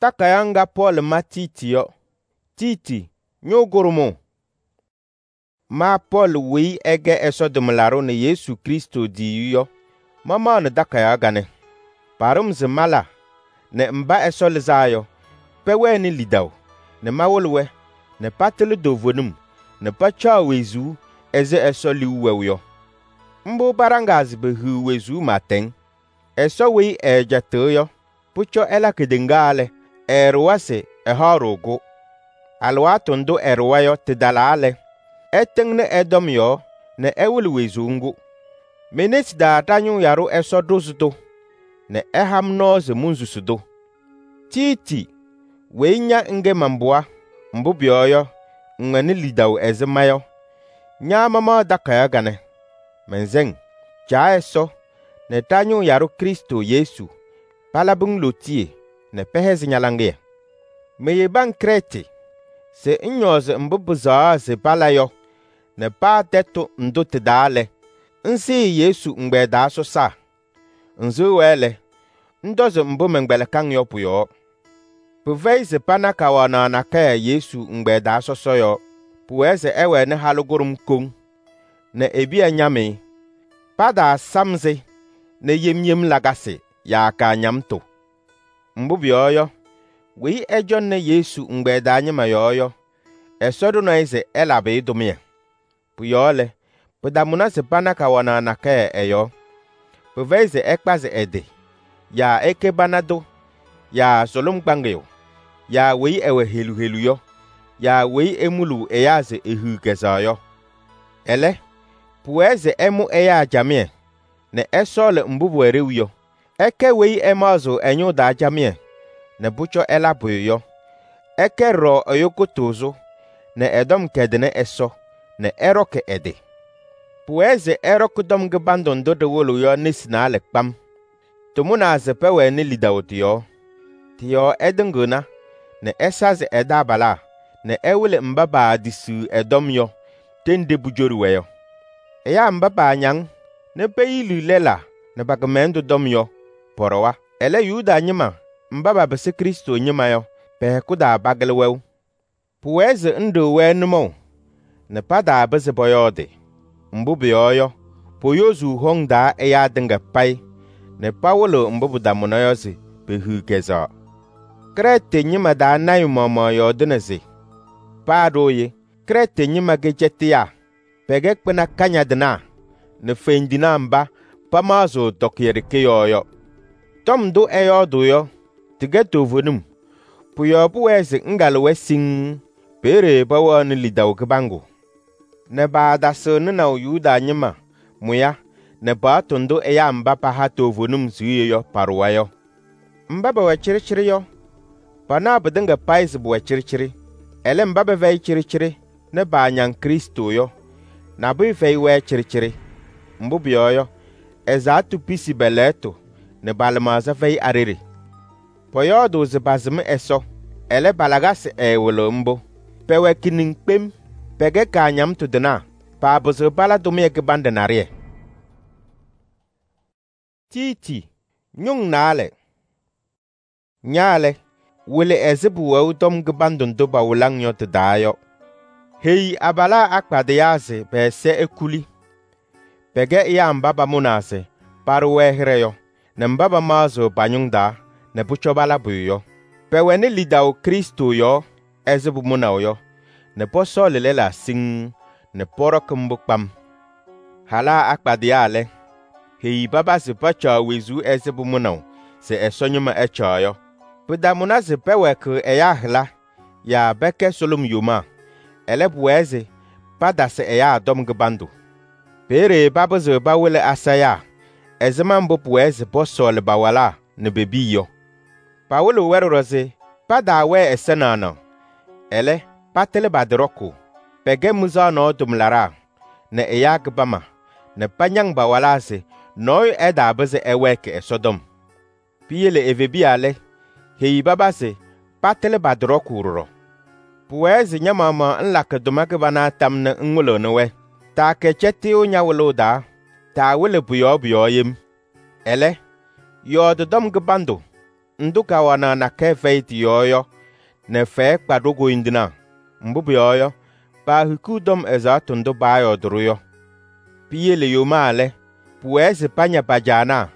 Takayaɣ ŋga Pɔɔlɩ ma Tiiti yɔ. Tiiti, ñʋʋ kʋɖʋmʋʋ. Ma Pɔɔlɩ weyi ɛkɛ Ɛsɔ tʋmlaɖʋ nɛ Yesu Krɩstʋ tiyiyu yɔ, mamaɣnɩ takayaɣ kanɛ. Paɖʋ-m se mala nɛ mba Ɛsɔ lɩzaa yɔ, pɛwɛnɩ lidaʋ nɛ mawɩlɩ-wɛ nɛ patɩlɩ toovenim nɛ pacaɣ wezuu ɛzɩ Ɛsɔ liu wɛʋ yɔ. Mbʋ paɖaŋaa se pehiɣ wezuu pɩɩtɛŋ. Ɛsɔ weyi ɛɛcɛtɩɣ yɔ, pʋcɔ ɛla kedeŋa lɛ, ɛɛɖʋwa se ɛhaɣ-ɖʋ-kʋ. Alɩwaatʋ ndʋ ɛɖʋwa yɔ tɩtalaa lɛ, ɛtɩŋnɩ ɛ-tɔm yɔɔ nɛ ɛwɩlɩ wezuu ŋgʋ. Me-nesi taa ɖa-ñʋʋ yaɖʋ Ɛsɔ ɖʋzɩ-tʋ nɛ ɛha-m nɔɔ se monsusi-tʋ. Tiiti, weyi ña ŋkɛ man-pɩɣa, mbʋ pʋyɔɔ yɔ, ŋwɛnɩ lidaʋ ɛzɩ ma yɔ, ña mamaɣ takayaɣ kanɛ. Mɛnsɛŋ, Caa Ɛsɔ nɛ ɖa-ñʋʋ yaɖʋ Krɩstʋ Yesu palabɩ-ŋ lootiye nɛ pɛhɛzɩ ña-laŋɩyɛ. Meyebi-ŋ Krɛɛtɩ se ŋñɔɔzɩ mbʋ pɩsɛɣaɣ se pala yɔ nɛ paa tɛtʋ ndʋ tɩ-taa lɛ, ŋsɩɩ Yesu ɛgbɛyɛ taa sɔsaa. Ŋsɩɣ-wɛ lɛ, ŋtɔzɩ mbʋ mɛnkpɛlɩkɩ-ŋ yɔ pʋ-yɔɔ. Pɩfɛyɩ se pana kawanaɣ nakɛyɛ Yesu ɛgbɛyɛ taa sɔsɔ yɔɔ. Pʋwɛɛ se ɛwɛnɩ halʋ kʋɖʋm koŋ nɛ e-piya ñam-ɩ. Pataasam-sɩ nɛ yem yem lakasɩ yaa kaañamtʋ. Mbʋ pʋyɔɔ yɔ, weyi ɛcɔŋnɩ Yesu ɛgbɛyɛ taa ñɩma yɔɔ yɔ, Ɛsɔ ɖʋnɩ-ɩ se ɛlabɩ-ɩ tʋmɩyɛ. Pʋ-yɔɔ lɛ, pɩtamʋnɩ se pana kawanaɣ nakɛyɛ ɛ-yɔɔ. Pɩfɛyɩ se ɛkpazɩ ɛ-tɩ, yaa ɛkɛ pana tʋ, yaa sʋlʋm kpaŋɩyʋ, yaa weyi ɛwɛ helu helu yɔ, yaa weyi emuluu ɛyaa se ehiɣ kɛzɛɣ yɔ. Ɛlɛ, pʋwɛɛ se ɛmʋ ɛyaa camɩyɛ nɛ ɛsɔɔlɩ mbʋ pʋwɛ ɖeu yɔ. Ɛkɛ weyi ɛmaɣzɩɣ ɛ-ñʋʋ taa camɩyɛ nɛ pʋcɔ ɛla pʋyʋ yɔ. Ɛkɛ ɖɔɖɔ ɛyʋ kʋtʋʋzʋ nɛ ɛ-tɔm kɛdɩnɩ Ɛsɔ nɛ ɛɖɔkɩ ɛ-tɩ. Pʋwɛɛ se ɛɖɔkɩ tɔm kɩbandʋ ndʋ ɖɩwɩlɩɣ yɔ nesi naalɛ kpam. Tɩmʋnaa se pɛwɛnɩ lidaʋ tɩ-yɔɔ. Tɩ-yɔɔ ɛtɩŋɩɣna nɛ ɛsazɩ ɛ-taabalaa nɛ ɛwɩlɩ mba paatisiɣ ɛ-tɔm yɔ ɖenɖe pʋjoɖi-wɛ yɔ. Ɛyaa mba paañaŋ nɛ peyiliɣ lɛlaa nɛ pa-kɩmɛlɛndʋ tɔm yɔ, pɔɖɔwa. Ɛlɛ, Yuda ñɩma mba papɩsɩ Krɩstʋ ñɩma yɔ, pɛ-hɛkʋ taa pakɩlɩ wɛʋ. Pʋwɛɛ se ŋɖɩɣ-wɛ nʋmɔʋ nɛ pataapɩzɩ pɔyɔɔdɩ. Mbʋ pʋyɔɔ yɔ, poyozuu hɔŋ taa ɛyaa tɩŋa payɩ nɛ pawɩlɩɣ mbʋ pɩtamʋna yɔ se pehiɣ kɛzɛɣ. Krɛɛtɩ ñɩma taa lɔɔyɩsɩ tɩnaa maɣmaɣ yɔɔdɩnɩ se: paa ɖooye, Krɛɛtɩ ñɩma kɛ cɛtɩyaa, pɛkɛ kpɩna kañadɩnaa nɛ fendinaa mba pamaɣzɩɣ tɔkɩyɛ ɖeke yɔɔ yɔ. Tɔm ndʋ ɛyɔɔdʋʋ yɔ, tɩkɛ toovenim. Pʋ-yɔɔ pʋwɛɛ se ŋkalɩ-wɛ siŋŋ, peeye pɛwɛɣnɩ lidaʋ kɩbaŋgʋ. Nɛ paatasɩɣ nɩnaʋ Yuda ñɩma mʋya nɛ paɣtʋ ndʋ ɛyaa mba paha toovenim siɣye yɔ paɖʋwa yɔ. Mba pɛwɛ cɩɖɩcɩɖɩ yɔ, panaɣ pɩtɩŋa payɩ se pʋwɛ cɩɖɩcɩɖɩ. Ɛlɛ, mba pɛfɛyɩ cɩɖɩcɩɖɩ nɛ paañaŋ Krɩstʋ yɔ, nabʋyʋ fɛyɩ-wɛ cɩɖɩcɩɖɩ. Mbʋ pʋyɔɔ yɔ, ɛzaɣtʋ pisi pɛ-lɛɣtʋ nɛ pa-lɩmaɣza fɛyɩ a-ɖeɖe. Pɔyɔɔdʋʋ se pasɩm Ɛsɔ, ɛlɛ pa-lakasɩ ɛɛwɩlɩɣ mbʋ. Pɛwɛ kɩniŋ kpem, pɛkɛ kaañamtʋ tɩnaa, paapɩzɩɣ pala tʋmɩyɛ kɩbanɖɛ naɖɩyɛ. Tiiti, ñʋŋ naalɛ. Ña lɛ, wɩlɩ ɛzɩ pʋwɛʋ tɔm kɩbandʋ ndʋ pawɩlɩ-ŋ yɔ tɩ-taa yɔ. Heyi abalaa akpadɩyaa se pɛ-ɛza ekuli. Pɛkɛ ɛyaa mba pamʋnaa se paɖʋ-wɛ hɩɖɛ yɔ nɛ mba pamaɣzɩɣ pa-ñʋŋ taa nɛ pʋcɔ pala pʋyʋ yɔ. Pɛwɛnɩ lidaʋ Krɩstʋ yɔɔ ɛzɩ pʋmʋnaʋ yɔ nɛ pɔsɔɔlɩ lɛlaa siŋŋ nɛ pɔɖɔkɩ mbʋ kpam. Halaa akpadɩyaa lɛ, heyi paba se pacaɣ wezuu ɛzɩ pʋmʋnaʋ se Ɛsɔ ñɩma ɛcaɣ yɔ. Pɩtamʋna se pɛwɛɛkɩɣ ɛyaa hɩla yaa pɛkɛ sʋlʋm yomaa. Ɛlɛ, pʋwɛɛ se patasɩ ɛyaa tɔm kɩbandʋ. Peeye papɩzɩɣ pawɩlɩ asayaa ɛzɩma mbʋ pʋwɛɛ se pɔsɔɔlɩ pa-walaa nɛ pe-piya yɔ. Pawɩlɩɣ-wɛ ɖɔɖɔ se pataawɛɛ ɛza naɣnaɣ. Ɛlɛ, patɩlɩ pa-tɩ ɖɔkʋʋ. Pɛkɛ mɩzaɣ nɔɔ tʋmlaɖaa nɛ ɛyaa kɩbama nɛ pañaŋ pa-walaa se nɔɔyʋ ɛtaapɩzɩ ɛwɛɛkɩ Ɛsɔtɔm. Piyele evebiya lɛ, heyi paba se patɩlɩ pa-tɩ ɖɔkʋʋ ɖɔɖɔ. Pʋwɛɛ se ña-maɣmaɣ ŋlakɩ tʋma kɩbana tam nɛ ŋwɩlɩɣnɩ-wɛ. Taakɛ cɛtɩyʋ ña-wɩlʋʋ taa, taawɩlɩ pʋ-yɔɔ yem. Ɛlɛ, yɔɔdɩ tɔm kɩbandʋ ndʋ kawanaɣ nakɛyɛ fɛyɩ tɩ-yɔɔ yɔ nɛ fɛyɛ kpa ɖo-koyindinaa. Mbʋ pʋyɔɔ yɔ, paahikiɣ tɔm ɛzaɣtʋ ndʋ paayɔɔdɩ-ɖʋ yɔ. Piyele yomaa lɛ, pʋwɛɛ se paña pa-caanaa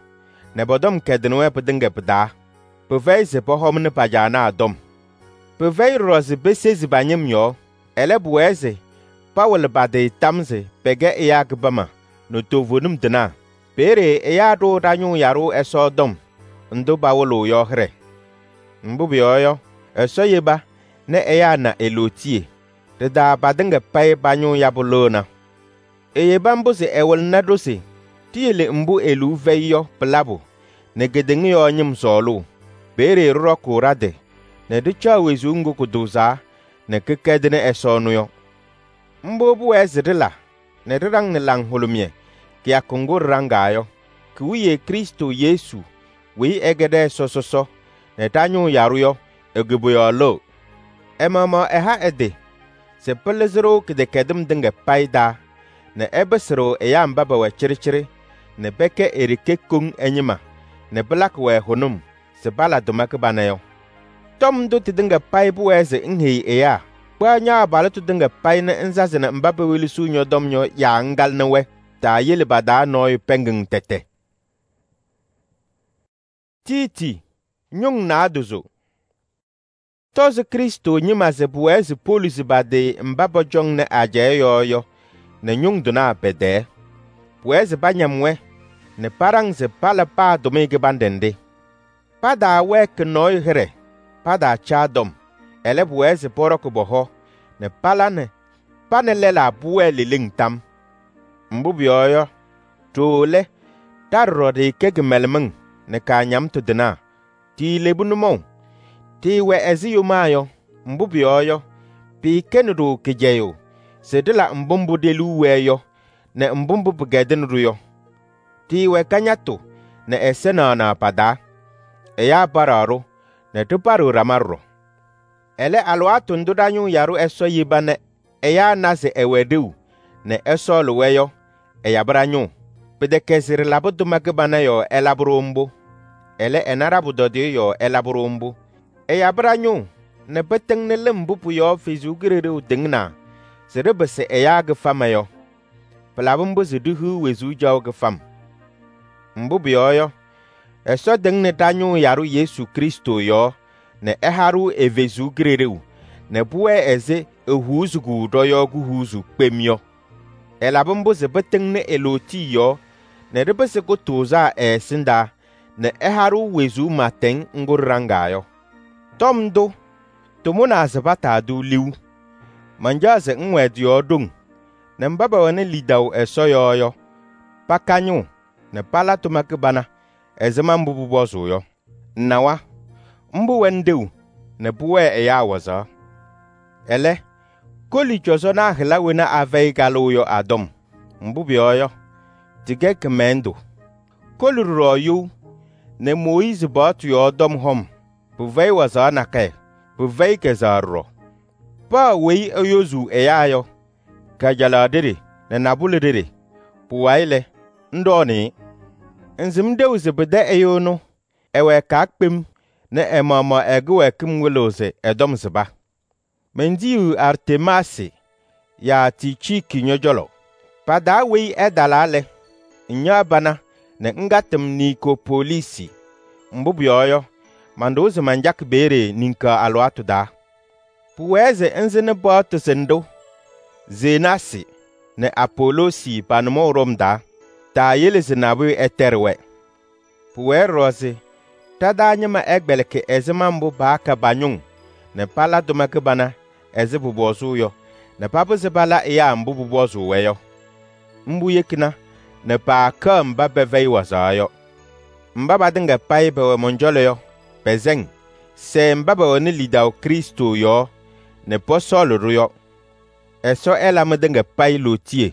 nɛ pɔ-tɔm kɛdɩnɩ-wɛ pɩtɩŋa pɩ-taa. Pɩfɛyɩ se pɔhɔmnɩ pa-caanaa tɔm. Pɩfɛyɩ ɖɔɖɔ se pesezi pa-ñɩm yɔɔ. Ɛlɛ, pʋwɛɛ se pawɩlɩ pa-tɩ tam se pɛkɛ ɛyaa kɩbama nɛ toovenim tɩnaa. Peeye ɛyaa ɖʋʋ ɖa-ñʋʋ yaɖʋ Ɛsɔ tɔm ndʋ pawɩlɩɣ yɔ hɩɖɛ. Mbʋ pʋyɔɔ yɔ, Ɛsɔ yeba nɛ ɛyaa na e-lootiye. Ɖɩ-taa patɩŋa payɩ pa-ñʋʋ yabʋ lɩɣna. Eyeba mbʋ se ɛwɩlɩnɩ-ɖʋ se tiyele mbʋ e-liu fɛyɩ yɔ pɩlabʋ nɛ kedeŋa yɔɔ ñɩm sɔɔlʋʋ. Peeye ɖɩɖɔkʋʋ ɖa-tɩ nɛ ɖɩcaɣ wezuu ŋgʋ kʋtʋʋzaa nɛ kɩkɛdɩnɩ Ɛsɔ ɛnʋ yɔ. Mbʋ pʋwɛɛ se ɖɩla nɛ ɖɩɖaŋnɩ laŋhʋlʋmɩyɛ kɩyakʋ ŋgʋ ɖɩɖaŋaa yɔ. Ki-wiye Krɩstʋ Yesu weyi ɛkɛ ɖɛ-Ɛsɔ sɔsɔ nɛ ɖa-ñʋʋ yaɖʋ yɔ, e-koboyaɣ lɩɣ. Ɛ-maɣmaɣ ɛha ɛ-tɩ se pɩlɩzɩ-ɖʋ kɩdɛkɛdɩm tɩŋa payɩ taa nɛ ɛpɩsɩ-ɖʋ ɛyaa mba pɛwɛ cɩɖɩcɩɖɩ nɛ pɛkɛ e-ɖeke koŋ ɛ-ñɩma nɛ pɩlakɩ-wɛ hʋnʋm se pala tʋma kɩbana yɔ. Tɔm ndʋ tɩtɩŋa payɩ pʋwɛɛ se ŋheyi ɛyaa. Kpaɣ ña-abalɩtʋ tɩŋa payɩ nɛ ŋsazɩnɩ mba pewelesiɣ ñɔ-tɔm yɔ yaa ŋkalɩnɩ-wɛ. Taayele pa-taa nɔɔyʋ pɛngɩŋ tɛtɛ. Tiiti ñʋŋ naadozo. Tɔzɩ Krɩstʋ ñɩma se pʋwɛɛ se poluzi pa-tɩ mba pɔcɔŋnɩ ajɛɛ yɔɔ yɔ nɛ ñʋŋ tʋnaa pɛ-tɛɛ. Pʋwɛɛ se pañam-wɛ nɛ paɖaŋ se pala paa tʋmɩyɛ kɩbanɖɛ nɖɩ. Pataawɛɛkɩ nɔɔyʋ hɩɖɛ, pataacaa tɔm. Ɛlɛ, pʋwɛɛ se pɔɖɔkɩ pɔ-hɔ nɛ pala nɛ pa nɛ lɛlaa pʋwɛɛ leleŋ tam. Mbʋ pʋyɔɔ yɔ, ɖooo lɛ, ɖa ɖɔɖɔ ɖɩɩkɛ kɩmɛlɛmɩŋ nɛ kaañamtʋ tɩnaa. Tiilebu nʋmɔʋ, tɩɩwɛ ɛzɩ yomaa yɔ. Mbʋ pʋyɔɔ yɔ, pɩɩkɛnɩ-ɖʋ kɩcɛyʋʋ se ɖɩla mbʋ mbʋ ɖe-liu wɛɛ yɔ nɛ mbʋ mbʋ pɩkɛdɩnɩ-ɖʋ yɔ. Tɩɩwɛ kañatʋ nɛ ɛza naɣnaɣ pa-taa. Ɛyaa paɖaɣ-ɖʋ nɛ ɖɩpaɖɩɣ ɖama ɖɔɖɔ. Ɛlɛ, alɩwaatʋ ndʋ ɖa-ñʋʋ yaɖʋ Ɛsɔ yeba nɛ ɛyaa na se ɛwɛ ɖeu nɛ ɛsɔɔlɩ-wɛ yɔ, ɛyabɩ ɖa-ñʋʋ. Pɩtɛkɛ se ɖɩlabɩ tʋma kɩbana yɔɔ ɛlabɩ-ɖʋ mbʋ. Ɛlɛ, ɛna ɖa-pʋtɔdɩyɛ yɔɔ ɛlabɩ-ɖʋ mbʋ. Ɛyabɩ ɖa-ñʋʋ nɛ pɩtɩŋnɩ lɩm mbʋ pʋ-yɔɔ Ɛsɔ Kalɩzaɣ tɩŋnaa se ɖɩpɩsɩ ɛyaa kɩfama yɔ. Pɩlabɩ mbʋ se ɖihiɣ wezuu caɣʋ kɩfam. Mbʋ pʋyɔɔ yɔ, Ɛsɔ tɩŋnɩ ɖa-ñʋʋ yaɖʋ Yesu Krɩstʋ yɔɔ nɛ ɛha-ɖʋ e-Ɛsɔ Kalɩzaɣ nɛ pʋwɛɛ ɛzɩ ehuuzuu ɖɔ-yɔɔ kuhuuzu kpem yɔ. Ɛlabɩ mbʋ se pɩtɩŋnɩ e-lootiye yɔɔ nɛ ɖɩpɩsɩ kʋtʋʋzaa ɛ-ɛsɩndaa nɛ ɛha-ɖʋ wezuu matɛŋ ŋgʋ ɖɩɖaŋaa yɔ. Tɔm ndʋ, tɩmʋnaa se pataadʋ liu. Mancaɣ se ŋwɛɛ tɩ-yɔɔ ɖoŋ nɛ mba pɛwɛnɩ lidaʋ Ɛsɔ yɔɔ yɔ, paka ñʋʋ nɛ pala tʋma kɩbana ɛzɩma mbʋ pʋpɔzʋʋ yɔ. Nawa, mbʋ wɛnɩ ɖeu nɛ pʋwɛɛ ɛyaa wazaɣ. Ɛlɛ, koli cɔzɔnaa hɩla wena afɛyɩ kalʋʋ yɔ a-tɔm. Mbʋ pʋyɔɔ yɔ, tɩkɛ kɩmɛlɛndʋ. Koli ɖɔɖɔ you nɛ Mooyiizi paɣtʋ yɔɔ tɔm hɔm, pɩfɛyɩ wazaɣ nakɛyɛ, pɩfɛyɩ kɛzɛɣ ɖɔɖɔ. Paa weyi eyozuu ɛyaa yɔ, kajalaɣ ɖeɖe nɛ nabʋlɛ ɖeɖe, pʋwayɩ lɛ, ŋɖɔɔnɩ-ɩ. Ŋsɩm ɖeu se pɩtɛ ɛyʋ ɛnʋ ɛwɛɛkaa kpem nɛ ɛ-maɣmaɣ ɛ-kɩwɛɛkɩm wɩlɩɣ se ɛ-tɔm sɩba. Mentiyiɣ Artemaasɩ yaa Tiiciiki ñɔ-cɔlɔ. Pa-taa weyi ɛtalaa lɛ, ŋñaɣ pana nɛ ŋkatɩ-m Nikopoliisi. Mbʋ pʋyɔɔ yɔ, manɖʋwa se mancakɩ peeye niŋkaɣ alɩwaatʋ taa. Pʋwɛɛ se ŋsɩnɩ paɣtʋ sɩnɖʋ Zenaasɩ nɛ Apoloosi pa-nʋmɔʋ ɖɔm taa. Taayele se nabʋyʋ ɛtɛɖɩ-wɛ. Pʋwɛɛ ɖɔɖɔ se ɖa-taa ñɩma ɛkpɛlɩkɩ ɛzɩma mbʋ paaka pa-ñʋŋ nɛ pala tʋma kɩbana ɛzɩ pʋpɔzʋʋ yɔ nɛ papɩzɩ pala ɛyaa mbʋ pʋpɔzʋʋ-wɛ yɔ. Mbʋ yekina nɛ paakaɣ mba pɛfɛyɩ wazaɣ yɔ. Mba patɩŋa payɩ pɛwɛ mɔn-cɔlɔ yɔ, pɛsɛŋ, sɛɛ mba pɛwɛnɩ lidaʋ Krɩstʋ yɔɔ nɛ pɔsɔɔlɩ-ɖʋ yɔ. Ɛsɔ ɛla mɩtɩŋa payɩ lootiye.